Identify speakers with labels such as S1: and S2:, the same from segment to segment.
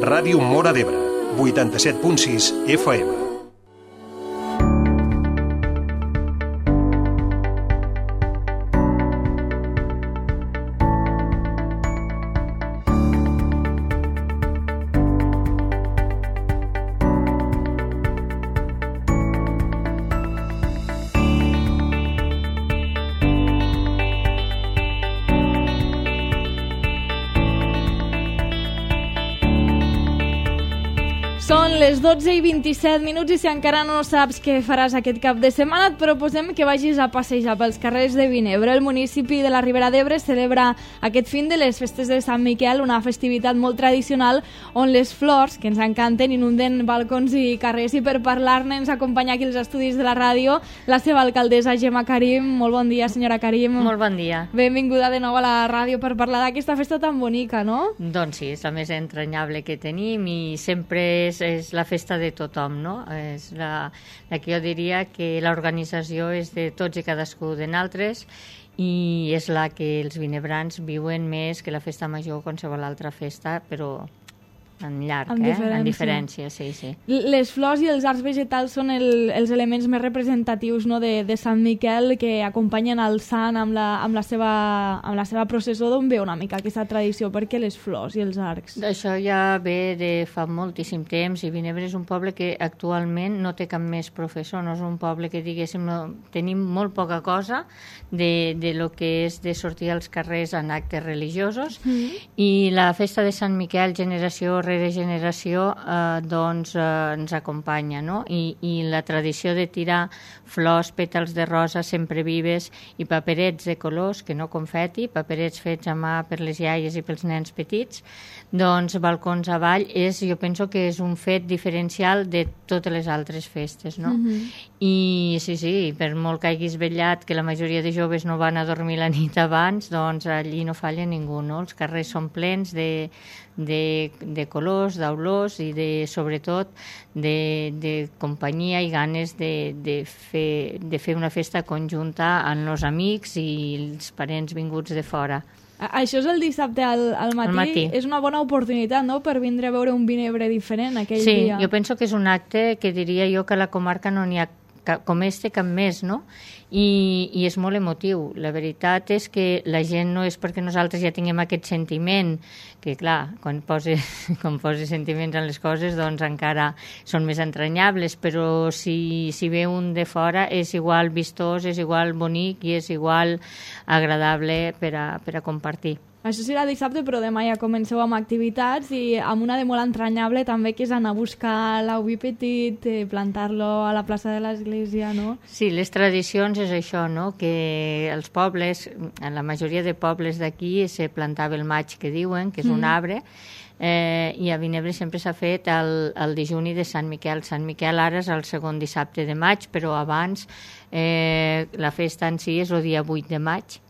S1: Ràdio Móra d'Ebre, 87.6 FM.
S2: Són les 12:27 i si encara no saps què faràs aquest cap de setmana et proposem que vagis a passejar pels carrers de Vinebre. El municipi de la Ribera d'Ebre celebra aquest fin de les festes de Sant Miquel, una festivitat molt tradicional on les flors, que ens encanten, inunden balcons i carrers, i per parlar-ne ens acompanya aquí als estudis de la ràdio la seva alcaldessa Gemma Karim. Molt bon dia, senyora Karim.
S3: Molt bon dia.
S2: Benvinguda de nou a la ràdio per parlar d'aquesta festa tan bonica, no?
S3: Doncs sí, és la més entranyable que tenim i sempre és la festa de tothom, no? És la que jo diria que l'organització és de tots i cadascú de nosaltres i és la que els vinebrans viuen més que la festa major o qualsevol altra festa, però en llarg, en diferència, sí.
S2: Les flors i els arcs vegetals són els elements més representatius, no, de Sant Miquel, que acompanyen el sant amb la seva processó. D'on ve una mica aquesta tradició? Per què les flors i els arcs?
S3: Això ja ve de fa moltíssim temps i Vinebre és un poble que actualment no té cap més professor, no és un poble que diguéssim, tenim molt poca cosa de lo que és de sortir als carrers en actes religiosos i la festa de Sant Miquel, generació rere generació, doncs ens acompanya, no? I la tradició de tirar flors, pètals de rosa sempre vives i paperets de colors, que no confeti, paperets fets a mà per les iaies i pels nens petits, doncs balcons avall, jo penso que és un fet diferencial de totes les altres festes, no? I sí, per molt que hagis vetllat, que la majoria de joves no van a dormir la nit abans, doncs allí no falla ningú, no? Els carrers són plens de colors, d'olors i sobretot de companyia i ganes de fer una festa conjunta amb els amics i els parents vinguts de fora.
S2: Això és el dissabte al matí. És una bona oportunitat, no?, per vindre a veure un Vinebre diferent aquell dia.
S3: Sí, jo penso que és un acte que diria jo que a la comarca no n'hi ha com cap més, no? I és molt emotiu. La veritat és que la gent no és perquè nosaltres ja tinguem aquest sentiment, que clar, quan poses sentiments en les coses doncs encara són més entranyables, però si ve un de fora és igual vistós, és igual bonic i és igual agradable per a compartir.
S2: Això serà dissabte, però demà ja comenceu amb activitats i amb una de molt entranyable també, que és anar a buscar l'auvi petit, plantar-lo a la plaça de l'església, no?
S3: Sí, les tradicions és això, no?, que els pobles, en la majoria de pobles d'aquí se plantava el maig, que diuen, que és un arbre, i a Vinebre sempre s'ha fet el dejuni de Sant Miquel. Sant Miquel ara és el segon dissabte de maig, però abans la festa en si és el dia 8 de maig,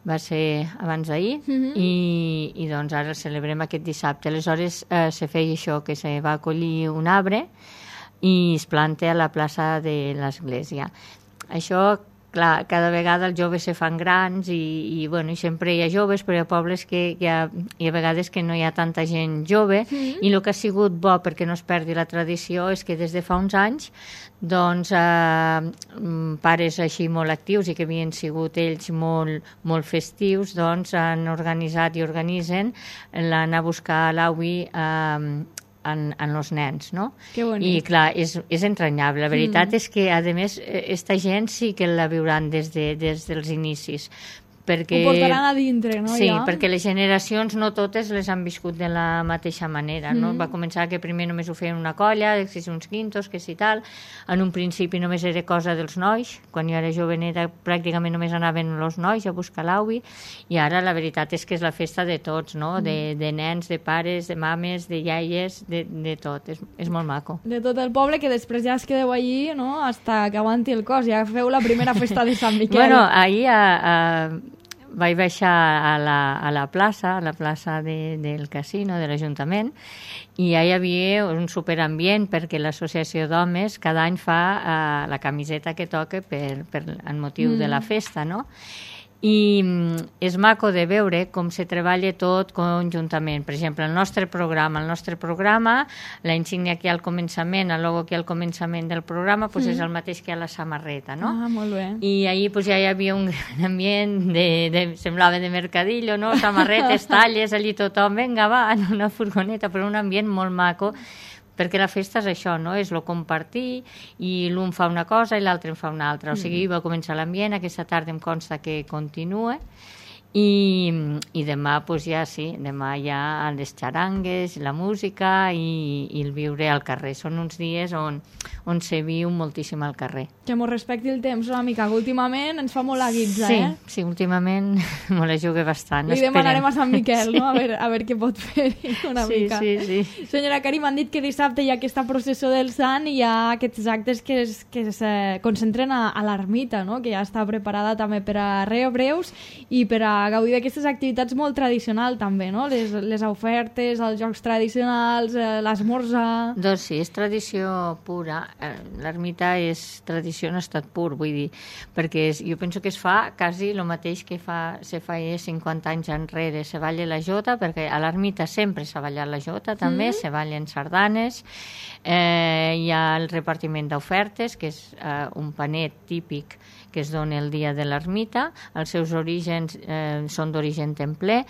S3: va ser abans d'ahir, i doncs ara celebrem aquest dissabte. Aleshores se feia això, que se va acollir un arbre i es planta a la plaça de l'església. Això, clar, cada vegada els joves se fan grans i sempre hi ha joves, però hi ha pobles que hi ha vegades que no hi ha tanta gent jove, i el que ha sigut bo perquè no es perdi la tradició és que des de fa uns anys doncs pares així molt actius i que havien sigut ells molt festius, doncs han organitzat i organitzen l'anar a buscar l'auvi en els nens, no?
S2: Que bonic.
S3: I clar, és entranyable. La veritat és que, a més, esta gent sí que la viuran des dels inicis. Perquè,
S2: ho portaran a dintre, no?
S3: Sí,
S2: ja?
S3: Perquè les generacions no totes les han viscut de la mateixa manera, no? Va començar que primer només ho feien una colla, que si uns quintos, que si tal. En un principi només era cosa dels nois. Quan jo era joveneta pràcticament només anaven els nois a buscar l'auvi, i ara la veritat és que és la festa de tots, no? De nens, de pares, de mames, de iaies, de tot. És molt maco.
S2: De tot el poble, que després ja es quedeu allí, no?, hasta que aguanti el cos. Ja feu la primera festa de Sant Miquel.
S3: Bueno, ahir vaig baixar a la plaça del casino, de l'Ajuntament, i ja hi havia un superambient perquè l'associació d'homes cada any fa la camiseta que toca en motiu de la festa, no? i és maco de veure com se treballa tot conjuntament. Per exemple, el nostre programa, la insígnia que hi ha al començament, el logo que hi ha al començament del programa, doncs és el mateix que a la samarreta, no?
S2: Ah, molt bé.
S3: I ahir doncs, ja hi havia un gran ambient, semblava de mercadillo, no? Samarretes, talles, allí tothom, vinga, va, en una furgoneta, però un ambient molt maco, perquè la festa és això, no? És el compartir i l'un fa una cosa i l'altre en fa una altra. O sigui, va començar l'ambient, aquesta tarda em consta que continua i demà, doncs ja sí, demà hi ha les xarangues, la música i el viure al carrer. Són uns dies on se viu moltíssim al carrer.
S2: Que m'ho respecti el temps una mica, que últimament ens fa molt la guitza, eh?
S3: Sí, últimament me la jugue bastant.
S2: Li demanarem a Sant Miquel, no? A veure què pot fer una mica.
S3: Sí.
S2: Senyora Karim, m'han dit que dissabte hi ha aquesta processó del Sant i hi ha aquests actes que es concentren a l'ermita, no? Que ja està preparada també per a Reobreus i per a gaudir d'aquestes activitats molt tradicionals també, no? Les ofertes, els jocs tradicionals, l'esmorzar...
S3: Doncs sí, és tradició pura. L'ermita és tradició en estat pur, vull dir, perquè jo penso que es fa quasi el mateix que se feia 50 anys enrere. Se balla la jota, perquè a l'ermita sempre s'ha ballat la jota, també, se ballen sardanes, hi ha el repartiment d'ofertes, que és un panet típic que es dona el dia de l'ermita. Els seus orígens són d'origen templer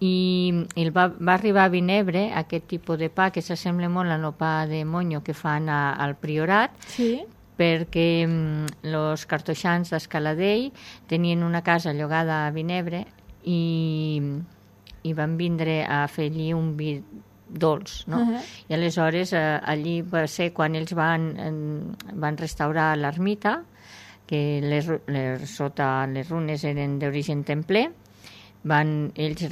S3: i va arribar a Vinebre aquest tipus de pa que s'assembla molt al pa de monyo que fan al Priorat,
S2: sí,
S3: perquè els cartoixans d'Escaladell tenien una casa llogada a Vinebre i van vindre a fer allí un vi dolç, no? I aleshores allí va ser quan ells van restaurar l'ermita, que sota les runes eren d'origen templer, van ells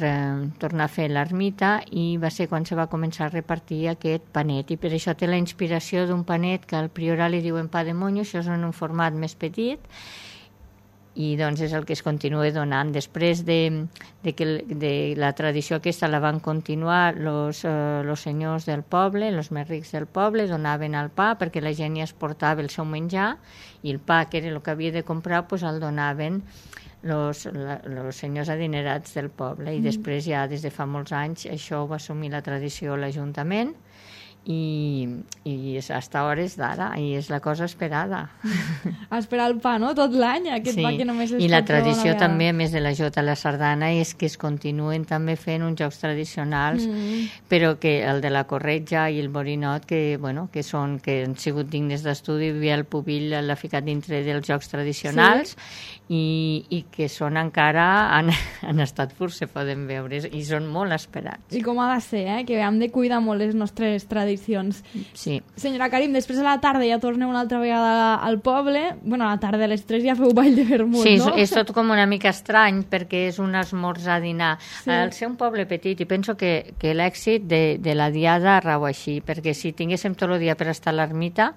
S3: tornar a fer l'ermita i va ser quan se va començar a repartir aquest panet, i per això té la inspiració d'un panet que al Priorat li diuen pa de monyo. Això és en un format més petit i doncs és el que es continua donant. Després de la tradició aquesta la van continuar los senyors del poble, els més rics del poble, donaven el pa perquè la gent ja es portava el seu menjar i el pa, que era el que havia de comprar, doncs el donaven los senyors adinerats del poble. I després ja des de fa molts anys això ho va assumir la tradició l'Ajuntament i hasta hores d'ara, i és la cosa esperada.
S2: A esperar el pa, no? Tot l'any, aquest pa que només es
S3: i la tradició també, a més de la jota, la sardana, és que es continuen també fent uns jocs tradicionals, però que el de la corretja i el borinot, que han sigut dignes d'estudi, el Pubill l'ha ficat dintre dels jocs tradicionals, i que són encara en estat pur, se poden veure, i són molt esperats.
S2: I com ha de ser, que hem de cuidar molt les nostres tradicions.
S3: Sí.
S2: Senyora Karim, després a la tarda ja torneu una altra vegada al poble. Bueno, a la tarda a les 3 ja feu ball de vermut,
S3: sí,
S2: no?
S3: Sí, és tot com una mica estrany perquè és un esmorzar-dinar. Sí. Al ser un poble petit, i penso que l'èxit de la diada rau així, perquè si tinguéssim tot el dia per estar a l'ermita,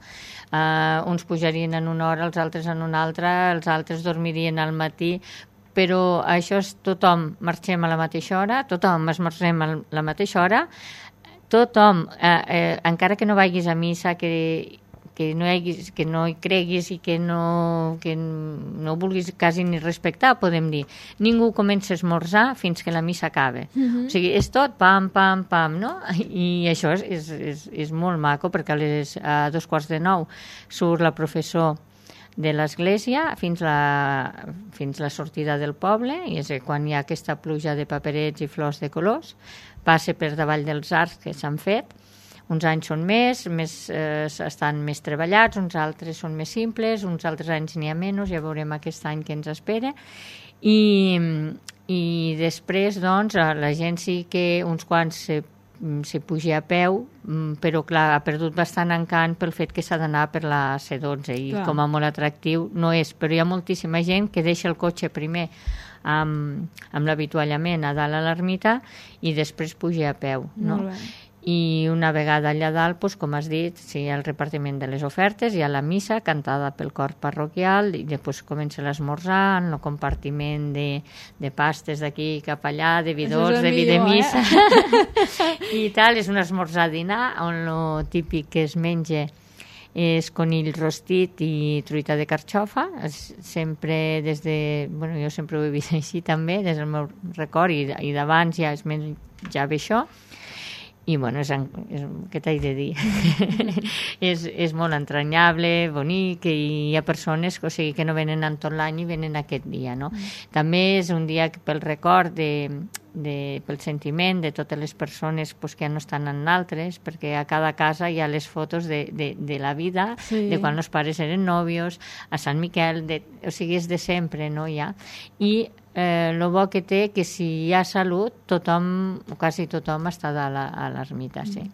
S3: uns pujarien en una hora, els altres en una altra, els altres dormirien al matí, però això és tothom marxem a la mateixa hora, tothom esmorzem a la mateixa hora, tothom, encara que no vagis a missa, que no hi creguis i que no vulguis quasi ni respectar, podem dir, ningú comença a esmorzar fins que la missa acaba. O sigui, és tot pam, pam, pam, no? I això és molt maco, perquè a 8:45 surt la professor de l'església fins la sortida del poble, i és quan hi ha aquesta pluja de paperets i flors de colors, passa per davall dels arcs que s'han fet. Uns anys són estan més treballats, uns altres són més simples, uns altres anys n'hi ha menys, ja veurem aquest any que ens espera. I després, doncs, la gent sí que uns quants se puja a peu, però clar, ha perdut bastant encant pel fet que s'ha d'anar per la C12 i com a molt atractiu no és, però hi ha moltíssima gent que deixa el cotxe primer amb l'avituallament a dalt a l'ermita i després puja a peu, no? I una vegada allà dalt, doncs, com has dit, hi ha el repartiment de les ofertes, hi ha la missa cantada pel cor parroquial i després comença l'esmorzar, el compartiment de pastes d'aquí cap allà, de vi dolç, de vi de missa i tal. És un esmorzar-dinar on el típic que es menja és conill rostit i truita de carxofa, sempre des de... Bueno, jo sempre ho he vist així també, des del meu record, i d'abans ja es menjava això. I, bueno, què t'he de dir? és molt entranyable, bonic, i hi ha persones que no venen en tot l'any i venen aquest dia, no? També és un dia pel record pel sentiment de totes les persones que no estan en altres, perquè a cada casa hi ha les fotos de la vida, de quan els pares eren nòvios, a Sant Miquel, o sigui, és de sempre, no? I el bo que té que si hi ha salut, quasi tothom està a l'ermita, sí.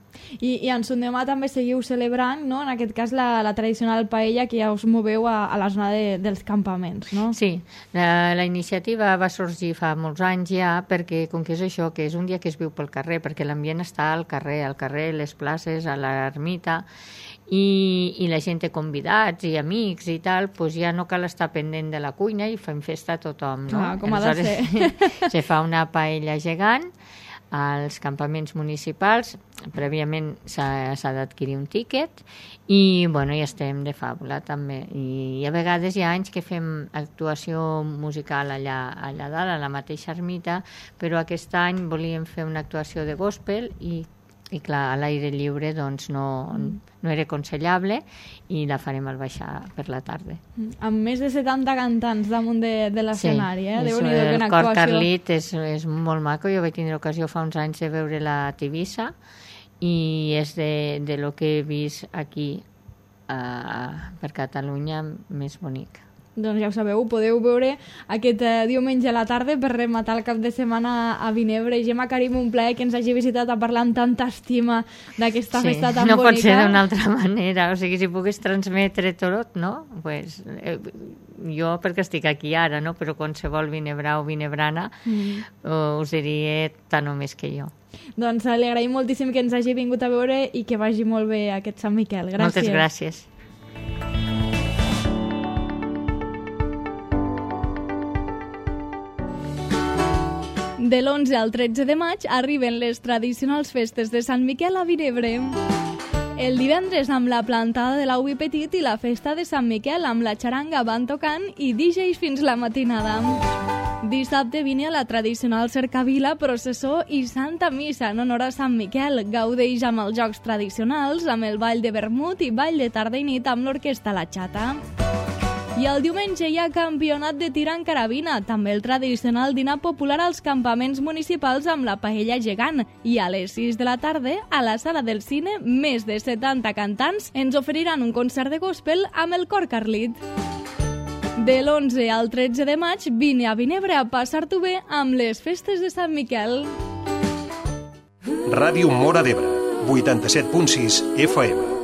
S2: I en son demà també seguiu celebrant, no? En aquest cas, la tradicional paella que ja us moveu a la zona dels campaments, no?
S3: Sí, la iniciativa va sorgir fa molts anys ja, perquè com que és això, que és un dia que es viu pel carrer, perquè l'ambient està al carrer, les places, a l'ermita, i la gent té convidats i amics i tal, doncs ja no cal estar pendent de la cuina i fem festa a tothom, no?
S2: Com ha de ser.
S3: Se fa una paella gegant als campaments municipals, prèviament s'ha d'adquirir un tíquet i, bueno, ja estem de fàbula també, i a vegades hi ha anys que fem actuació musical allà dalt, a la mateixa ermita, però aquest any volíem fer una actuació de gospel i clar, a l'aire lliure doncs no era aconsellable i la farem al baixar per la tarda.
S2: Amb més de 70 cantants damunt de l'escenari,
S3: Sí, el cor Carlit és molt maco. Jo vaig tindre ocasió fa uns anys de veure la Tivissa i és de lo que he vist aquí per Catalunya més bonic.
S2: Doncs ja ho sabeu, podeu veure aquest diumenge a la tarda per rematar el cap de setmana a Vinebre. Gemma, Karim, un plaer que ens hagi visitat a parlar amb tanta estima d'aquesta festa tan bonica.
S3: No pot ser d'una altra manera, o sigui, si pogués transmetre tot, no? Pues, jo perquè estic aquí ara, no? Però qualsevol vinebrà o vinebrana us diria tant o més que jo.
S2: Doncs li agraïm moltíssim que ens hagi vingut a veure i que vagi molt bé aquest Sant Miquel. Gràcies.
S3: Moltes gràcies.
S2: De l'11 al 13 de maig arriben les tradicionals festes de Sant Miquel a Vinebre. El divendres amb la plantada de l'Auvi Petit i la festa de Sant Miquel amb la xaranga van tocant i DJs fins la matinada. Dissabte vine a la tradicional cercavila, processó i Santa Missa en honor a Sant Miquel. Gaudeix amb els jocs tradicionals, amb el ball de vermut i ball de tarda i nit amb l'orquestra La Xata. I el diumenge hi ha campionat de tir en carabina, també el tradicional dinar popular als campaments municipals amb la paella gegant. I a les 6 de la tarda, a la sala del cine, més de 70 cantants ens oferiran un concert de gospel amb el cor Carlit. De l'11 al 13 de maig, vine a Vinebre a passar-t'ho bé amb les festes de Sant Miquel.
S1: Ràdio Móra d'Ebre, 87.6 FM.